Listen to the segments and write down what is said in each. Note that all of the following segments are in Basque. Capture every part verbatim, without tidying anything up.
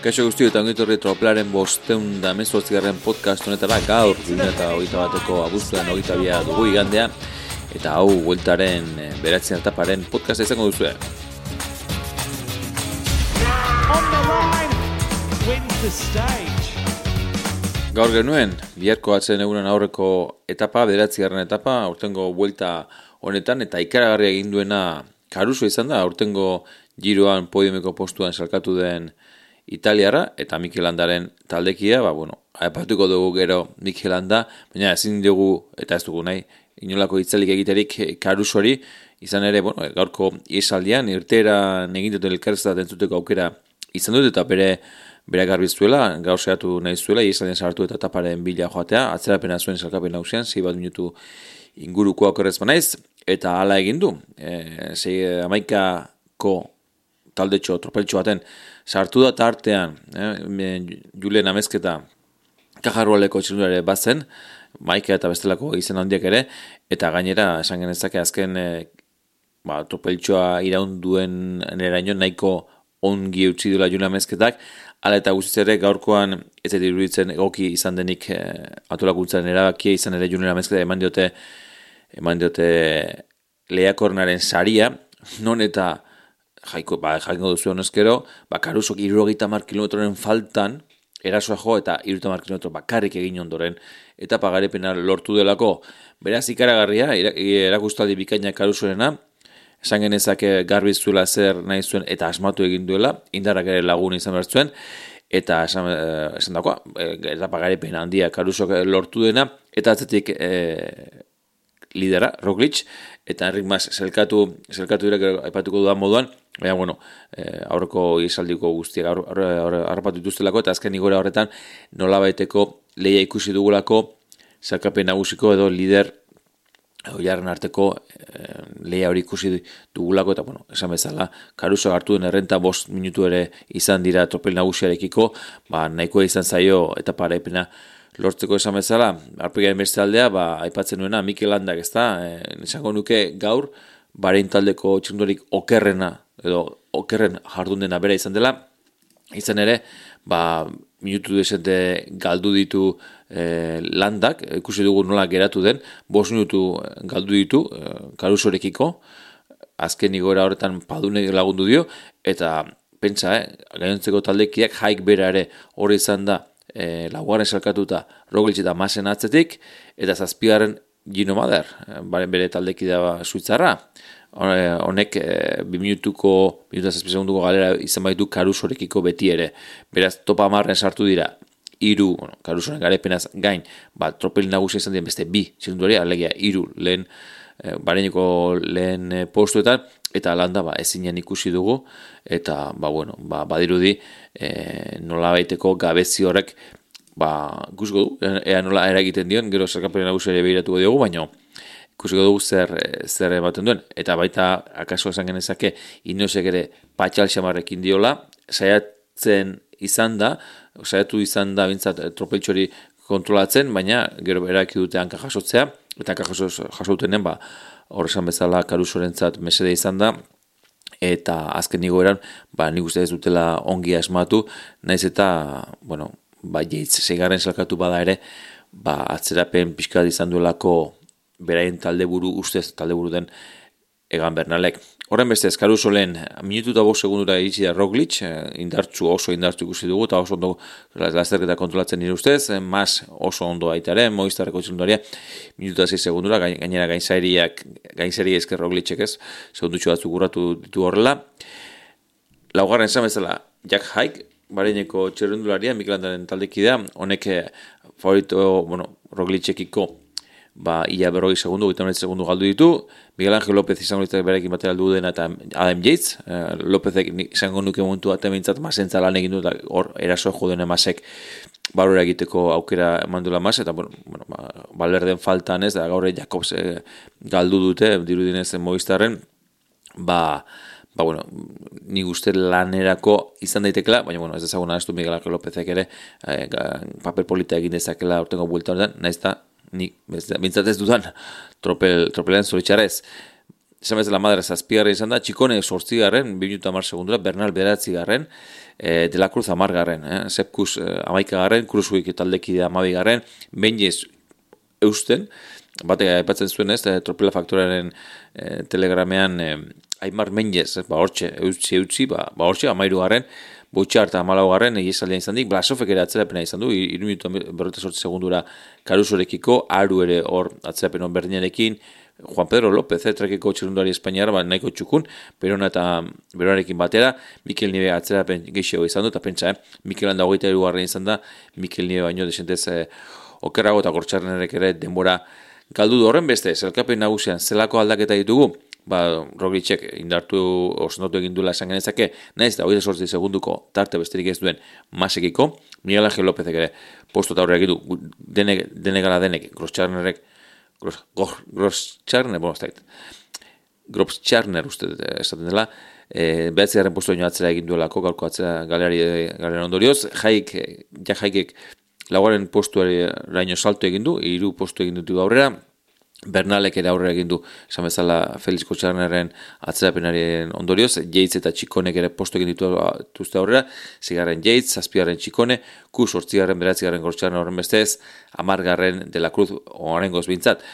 Kaixo guztio eta ongitorri Tropelaren bosteun da mezortzigarren podcast honetara gaur gune eta hogeita bateko abuztuan hogeita bia dugu igandea eta hau bueltaren beratzen etaparen podcast izango duzue. Gaur genuen, biharko atzen egunen aurreko etapa, bederatzigarren etapa, aurtengo buelta honetan eta ikaragarria egin duena Caruso izan da, aurtengo giroan podiumeko postuan salkatu den Italiarra eta Mikel Landaren taldekia, ba, bueno, aipatuko dugu gero Mikel Landa, baina ezin dugu, eta ez dugu nahi, inolako itzalik egiterik Carusori, izan ere, bueno, gaurko iesaldian, irteeran egin duten elkarrezat entzuteko aukera izan dut, eta bere bere garbizuela, gaur sehatu nahi zuela, iesaldian sartu eta taparen bila joatea, atzerapena zuen salkapen nausian, zei bat minutu inguruko akorrez banaiz, eta hala egin du, e, zei amaikako taldetxo, tropeltxo baten, sartu da tartean, eh, Julen Amezketa kajarrualeko txilunare bazen, Maika eta bestelako izen handiak ere, eta gainera, esan genezake azken eh, ba, tropeltxoa iraunduen eraino nahiko ongi eutsi duela Julen Amezketak, hala eta guztiz ere gaurkoan ez dut iruditzen egoki izan denik eh, atolakuntzaren erabakia izan ere Julen Amezketa eman diote, eman diote lehiakornaren saria, non eta Jaiko, ba, jaiko duzu honezkero, ba, Carusok hirurogeita hamar kilometroren faltan, erasoa jo eta hirurogeita hamar kilometro bakarrik egin ondoren, eta pagarepena lortu delako. Beraz, ikaragarria, erakustaldi bikaina Carusorena, esan genezake garbi zuela zer nahi zuen eta asmatu egin duela, indarrak ere lagun izan behar zuen, eta esan, esan dagoa, eta pagarepena handia Carusok lortu dena, eta atzetik e, lidera, Roglic, eta Enric Mas zelkatu, zelkatu dira, aipatuko dudan moduan, baina, bueno, eh, aurreko izaldiko guztiak harrapatu dituztelako, eta azken igora horretan nolabaiteko lehia ikusi dugulako zelkapen nagusiko edo lider oiarren arteko eh, lehia hori ikusi dugulako, eta, bueno, esan bezala, Caruso hartu den errenta bost minutu ere izan dira tropel nagusiarekiko, ba, nahikoa izan zaio eta paraipena lortzeko esan bezala, arpegaren beste aldea, ba, aipatzen nuena, Mikel Landak, ez da, e, esango nuke gaur, Bahrein taldeko txirrindularik okerrena, edo okerren jardun dena bera izan dela, izan ere, ba, minutu desente galdu ditu e, Landak, ikusi dugu nola geratu den, bost minutu galdu ditu, e, Carusorekiko, azken igora horretan padune lagundu dio, eta pentsa, eh, gainontzeko taldekiak jaik bera ere hori izan da, E, laugarren salkatuta Roglic eta Masen atzetik, eta zazpigarren Gino Mader, baren bere taldekidea Suitzarra. Honek e, bi minutuko, minuta zazpi segunduko galera izan baitu Carusorekiko beti ere. Beraz, topa amarren sartu dira, iru, bueno, Carusoren garepenaz gain, ba, tropel nagusia izan dien beste bi, zirunduari, alegia, iru, lehen, e, bareneko lehen e, postuetan, eta Landa ba, ezinen ikusi dugu, eta ba, bueno, ba, badirudi e, nola baiteko gabezi horrek ba, ikusiko du, ea nola eragiten dion, gero zerkapen nagusiari behiratuko diogu, baina ikusiko dugu zer, zer ematen duen, eta baita akaso esan genezake inosek ere patxal xamarrekin diola, saiatzen izan da, saiatu izan da bintzat tropeltxori kontrolatzen, baina gero eraki dute hanka jasotzea, eta hanka jasoutenen ba, horrezan bezala Carusorentzat mesede izan da, eta azken igoeran, ba, nik uste ez dutela ongi asmatu, naiz eta, bueno, ba, jeitz, seigarren salkatu bada ere, ba, atzerapen pixkat izan duelako beraien taldeburu, ustez taldeburu den Egan Bernalek. Horren bestez, Caruso lehen, minutu eta bost segundura iritsi da Roglic, indartzu, oso indartzu ikusi dugu, eta oso ondo lasterketa kontrolatzen nire ustez, Mas oso ondo aitaren, Movistarreko txilundaria, minutu eta sei segundura, gainera gainzariak, gainzari esker Roglicek ez, segundutxo batzuk urratu ditu horrela. Laugarren esan bezala, Jack Haig, Bahreineko txirrindularia, Mikel Landaren taldekidea, honek favorito, bueno, Roglicekiko, ba, ia berroi segundu, gita honet segundu galdu ditu, Miguel Ángel López izango ditzak berekin batera aldu dena eta Adam Yates, eh, Lópezek izango nuke momentu bat emintzat masentza lan egin du, eta hor eraso joduen emasek barora egiteko aukera eman duela mas, eta bueno, bueno, ba, Valverden faltan ez, da gaur Jakobs eh, galdu dute, dirudinez Movistarren, ba, ba bueno, ni uste lanerako izan daitekela, baina bueno, ez dezagun ahaztu Miguel Ángel Lópezek ere, eh, paper polita egin dezakela urtengo buelta honetan, naiz eta ni bintzat ez dudan tropel, tropelean zoritxarrez. esan bezala Madera zazpigarren izan da, Txikone sortzigarren, bi minutu hamar segundura, Bernal bederatzigarren, e, De la Cruz hamargarren, eh? Sepkus e, amaikagarren, Kruzuik taldekidea amabigarren, Benjez eusten, batek aipatzen zuen ez, Tropela Faktoraren e, telegramean e, Aimar Menjez, ba hortxe, eutzi, eutzi, ba, ba hortxe, amairugarren, Botxar eta Malaugarren egizaldean izan dik, Blasofek ere atzerapena izan du, hiru minutu berrogeita zortzi segundura Carusorekiko, Aru ere hor atzerapen hon berdinarekin, Juan Pedro López, etrekeko txerundari espainiara, ba, nahiko txukun, Perona eta Beronarekin batera, Mikel Nieve atzerapen gehiago izan du, eta pentsa, eh? Mikel Landa hogeita hirugarren izan da, Mikel Nieve baino desentez eh, okerrago eta Gortxarnerek ere denbora galdu du horren beste, zelkapen nagusian zelako aldaketa ditugu, ba, Roglicek indartu osnatu egin duela esan genezake, naiz da hogeita zortzi segunduko tarte besterik ez duen Masekiko, Miguel Ángel Lópezek ere postu eta horrek du, denek, denegala denek, Groscharnerek, Gros, Groscharner, bueno, ez da, Groscharner uste esaten dela, e, behatzigarren postu baino atzera egin duelako, gaurko atzera galerari galera ondorioz, jaik, ja jaikek laugarren postuari raino salto egin du, hiru postu egin dut aurrera, Bernalek ere aurrera egin du, esan bezala Felix Kotxarneren atzerapenaren ondorioz, Yates eta Txikonek ere postu egin dituzte aurrera, zigarren Yates, zazpigarren Txikone, Kus hortzigarren, beratzigarren Kotxarner horren bestez, amargarren De la Cruz orengoz bintzat,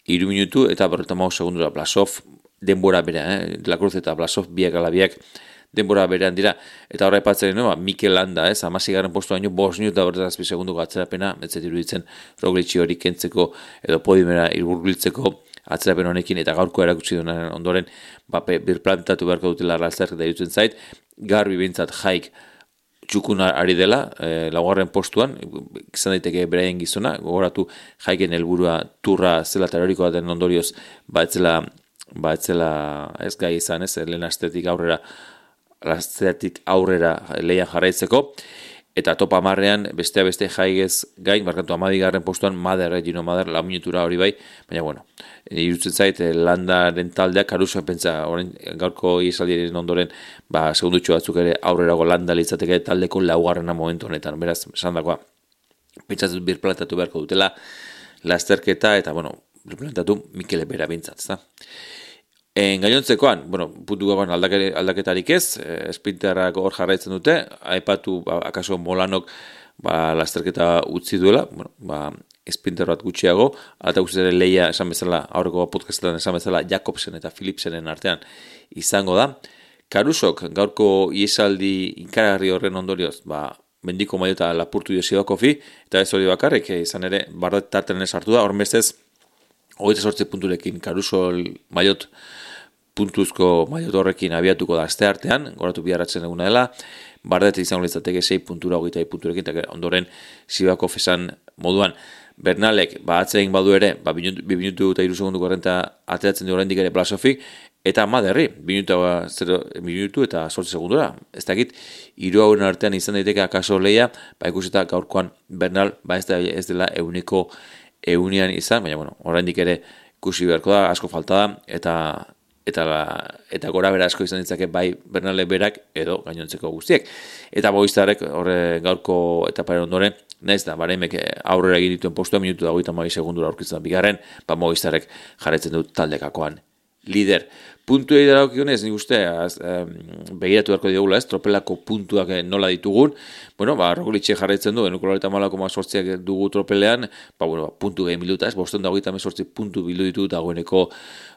hiru minutu eta berreta maus segundura Blasov, denbora bera, eh? De la Cruz eta Blasov biak ala biak, denbora berean dira, eta horra epatzen no, Mikel Landa, ez, amazigarren postu baino, bost minutu eta berretazpi segunduko atzerapena, betzet iruditzen Roglici hori kentzeko, edo podimera irburbiltzeko atzerapen honekin, eta gaurko erakutsi duen ondoren, bape, birplantatu beharko dutela arraltzak eta irutzen zait, garbi bintzat jaik txukun ari dela, e, laugarren postuan, izan daiteke beraien gizona, gogoratu jaiken helburua turra zela terorikoa den ondorioz, ba etzela, ba etzela ez gai izan, ez, lehen astetik aurrera, Lasteatik aurrera leian jarraitzeko, eta topa marrean bestea beste jaigez gain, markatu amabigarren postuan Mader, Gino Mader, lau minutura hori bai, baina bueno, irutzen zait, Landaren taldeak, Caruso pentsa, orain gaurko iesaldien ondoren, ba, segundutxo batzuk ere aurrerago Landa litzateke taldeko laugarrena momentu honetan, beraz, esan dakoa, pentsatzen birplantatu beharko dutela, lasterketa, eta bueno, birplantatu Mikele bera bintzat, ezta? En gainontzekoan, bueno, puntu gagoan aldaketarik ez, eh, Sprinterrak hor jarraitzen dute, aipatu, ba, akaso Molanok ba, lasterketa utzi duela, bueno, ba, Sprinter bat gutxiago, eta guzti ere leia esan bezala, aurreko podcastetan esan bezala, Jakobsen eta Philipsenen artean izango da. Carusok gaurko iesaldi inkaragarri horren ondorioz, ba, mendiko maiota lapurtu dio Sivakovi, eta ez hori bakarrik, izan ere, barret tartenen sartu da, horren bestez, hogeita zortzi punturekin Caruso maiot puntuzko maiot horrekin abiatuko da aste artean, goratu biharratzen eguna dela, bardet izango litzateke sei puntura hogeita punturekin, eta ondoren Sivakov esan moduan, Bernalek, ba, atzegin badu ere, ba, bi minutu eta iru segunduko errenta ateratzen du oraindik ere Blasofik, eta Maderri, bi minutu eta zortzi segundura. Ez dakit, hiru hauen artean izan daiteke akaso leia, ba, ikusita gaurkoan Bernal, ba, ez, da, ez dela euneko eunian izan, baina, bueno, oraindik ere ikusi beharko da, asko falta da, eta eta eta gora bera asko izan ditzake bai Bernale berak edo gainontzeko guztiek. Eta Movistarrek horre gaurko etaparen ondoren, naiz da, baremek aurrera egin dituen postua, minutu da hogeita hamabi segundura aurkitzen da bigarren, ba Movistarrek jarraitzen dut taldekakoan lider. Puntuei darakionez, nik uste, az, um, begiratu beharko digula, ez, tropelako puntuak nola ditugun, bueno, ba, Roglic jarraitzen du, enuko loreta malako sortziak dugu tropelean, ba, bueno, ba, puntu gehi biluta, ez, bosten da hogeita sortzi puntu bilu ditu dagoeneko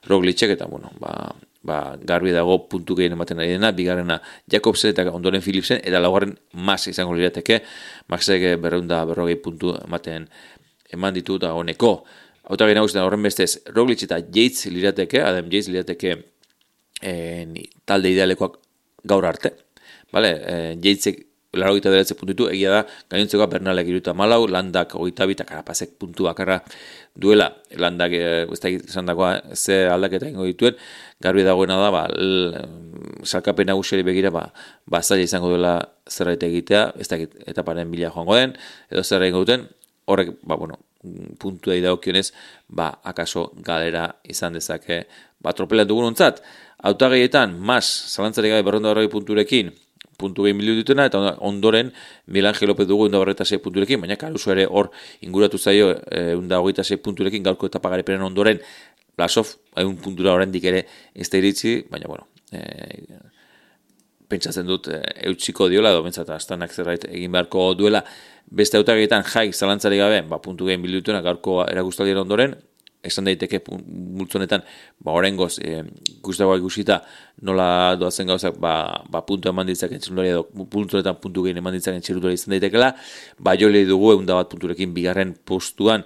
Roglicek, eta, bueno, ba, ba, garbi dago puntu gehien ematen ari dena, bigarrena Jakobsen eta ondoren Philipsen, eta laugarren Mas izango lirateke, Maxek berreunda berrogei puntu ematen eman ditu dagoeneko. Hautagin nagusitan horren bestez, Roglic eta Yates lirateke, Adam Yates lirateke en, talde idealekoak gaur arte. Vale? E, Yatesek laro gita beratze puntu egia da, gainontzekoa Bernalek iruta malau, Landak hogeita bi eta Karapazek puntu bakarra duela. Landak, ez da izan dagoa, ze aldaketa ingo dituen, garbi dagoena da, ba, salkapen nagusiari begira, ba, ba zaila izango duela zerbait egitea, ez da etaparen bila joango den, edo zer egingo duten, horrek, ba, bueno, puntua idagokionez, ba, akaso galera izan dezake, ba, tropelean dugun ontzat. Hautagaietan, Mas, zalantzari gabe berronda horregi punturekin, puntu gehi miliu dituna, eta ondoren Miguel Ángel López dugu unda horreta sei punturekin, baina Caruso ere hor inguratu zaio e, unda hogeita sei punturekin, gaurko etapa garipenen ondoren Blasov, egun puntura oraindik ere ez da iritsi, baina, bueno, e, pentsatzen dut e, eutsiko diola, edo bentsat, astanak zerbait egin beharko duela, beste hautagietan jaik zalantzari gabe, ba, puntu gehien bildutuena gaurko erakustaldiaren ondoren, esan daiteke multzonetan, ba, oraingoz, e, gustagoa ikusita nola doazen gauzak, ba, ba puntu eman ditzaken txirundari edo puntuetan puntu gehien eman ditzaken txirundari izan daitekela, ba, jole dugu egun da bat punturekin bigarren postuan,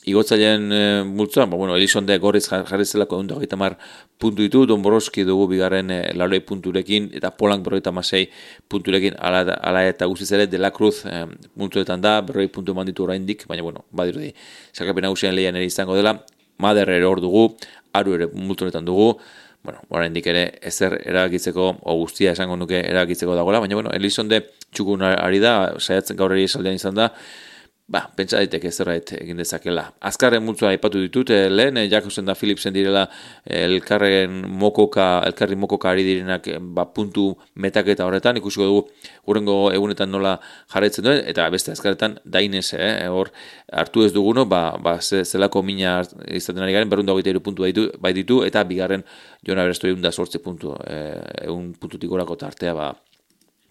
igotzailean e, multzoan, ba, bueno, Elizonde gorriz jarri zelako egun da hogeita hamar puntu ditu, Don Boroski dugu bigarren e, laurei punturekin, eta Polank berrogeita hamasei punturekin, ala, ala eta guztiz ere, De La Cruz e, multzoetan da, berroi puntu eman ditu oraindik, baina, bueno, badirudi, sakapen nagusian lehian ere izango dela, Mader ere hor dugu, Aru ere multzonetan dugu, bueno, oraindik ere ezer erabakitzeko, o guztia esango nuke erabakitzeko dagoela, baina, bueno, Elizonde txukun ari da, saiatzen gaur ere esaldean izan da, ba, pentsa daiteke zerbait egin dezakela. Azkarren multzoa aipatu ditut, eh, lehen, eh, Jakobsen da Philipsen direla eh, elkarren mokoka, elkarri mokoka ari direnak eh, ba, puntu metaketa horretan, ikusiko dugu hurrengo egunetan nola jarraitzen duen, eta beste azkarretan dainez, eh, hor hartu ez duguno, ba, ba zelako mina izaten ari garen, berrunda hogeita hiru puntu bai ditu, bai ditu, eta bigarren Jon Aberesto egun da sortze puntu, eh, egun puntutik gorako tartea, ba,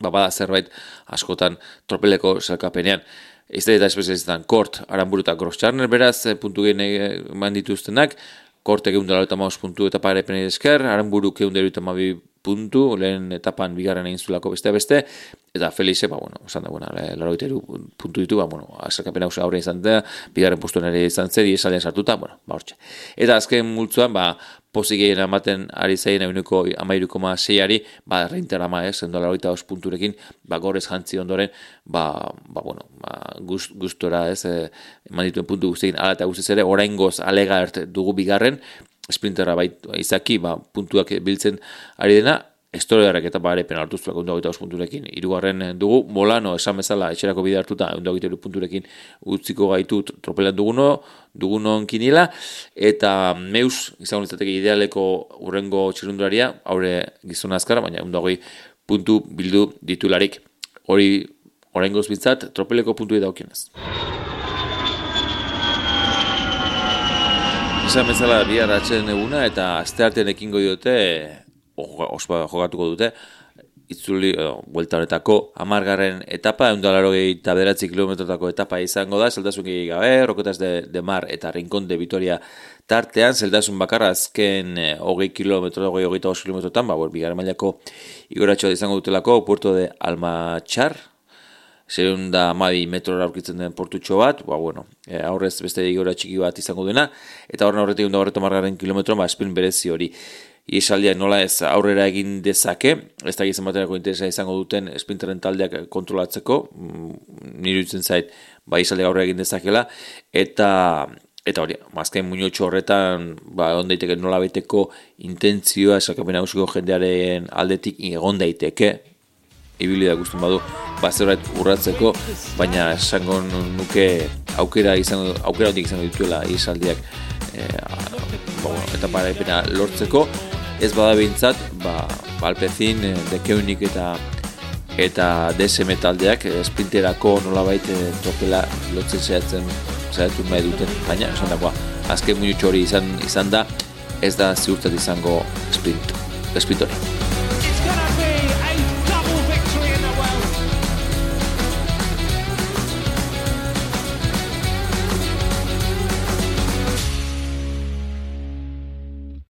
ba, bada zerbait askotan tropeleko zelkapenean. Izte eta espezialistan Kort, Aranburu eta Gross-Txarner beraz, puntu gehen eman dituztenak, Kort egun dela eta maus puntu eta pare penei esker, Aranburu egun dela eta mabi puntu, lehen etapan bigarren egin zulako beste beste, eta Felixe, ba, bueno, esan da, bueno, laro giteru puntu ditu, ba, bueno, azerkapen hausia aurre izan da, bigarren postuen ere izan zer, diesaldean sartuta, bueno, ba, hortxe. Eta azken multzuan, ba, pozik egin ematen ari zaien eguneko amairu koma seiari, ba, reinterama, ez, endo laro eta os punturekin, ba, gorez jantzi ondoren, ba, ba, bueno, ba, gust, gustora, ez, eh, eman dituen puntu guztiekin, ala eta guztiz ere, oraingoz alega ert dugu bigarren, sprinterra bait izaki, ba, puntuak biltzen ari dena, Estoriarrek eta ba ere penaltuztuak egun dagoita os punturekin. Hirugarren dugu, Molano esan bezala etxerako bide hartuta egun dagoita punturekin utziko gaitu tropelan duguno, dugunon kinila, eta Meus izango litzateke idealeko urrengo txirrundularia, haure gizona azkara, baina egun dagoi puntu bildu ditularik. Hori oraingoz bintzat, tropeleko puntuei daukienez. Esan bezala bihar atzen eguna eta asteartean ekingo diote ospa jogatuko dute, itzuli, buelta horretako hamargarren etapa, ehun eta laurogeita bederatzi kilometrotako etapa izango da, zeltasun gehiago gabe, Rokotas de, de Mar eta Rincón de Vitoria tartean, zeltasun bakarra azken hogei kilometro, hogei hogeita bost kilometrotan, ba, bigarren mailako igoratxoa izango dutelako, Puerto de Almachar, zerun da amabi metrora aurkitzen den portutxo bat, ba, bueno, e, aurrez beste igora txiki bat izango dena, eta horren horretik da horretu margarren kilometro, ba, espin berezi hori. Iesaldiak nola ez aurrera egin dezake, ez da gizan baterako interesa izango duten sprinteren taldeak kontrolatzeko, nire dutzen zait, ba, iesaldiak aurrera egin dezakela, eta eta hori, mazkain muñotxo horretan, ba, egon daiteke nola baiteko intentzioa, esakapen nagusiko jendearen aldetik egon daiteke, ibili da guztun badu, ba, zerbait urratzeko, baina esango nuke aukera izango, aukera hondik izango dituela iesaldiak, e, ba, bueno, eta paraipena lortzeko, ez bada behintzat, ba, Alpecin, De Keunik eta eta D S M taldeak sprinterako nolabait tropela lotzen zehatzen zehatu nahi duten, baina esan dagoa, azken minutxo hori izan, izan da, ez da ziurtzat izango sprint, sprint hori.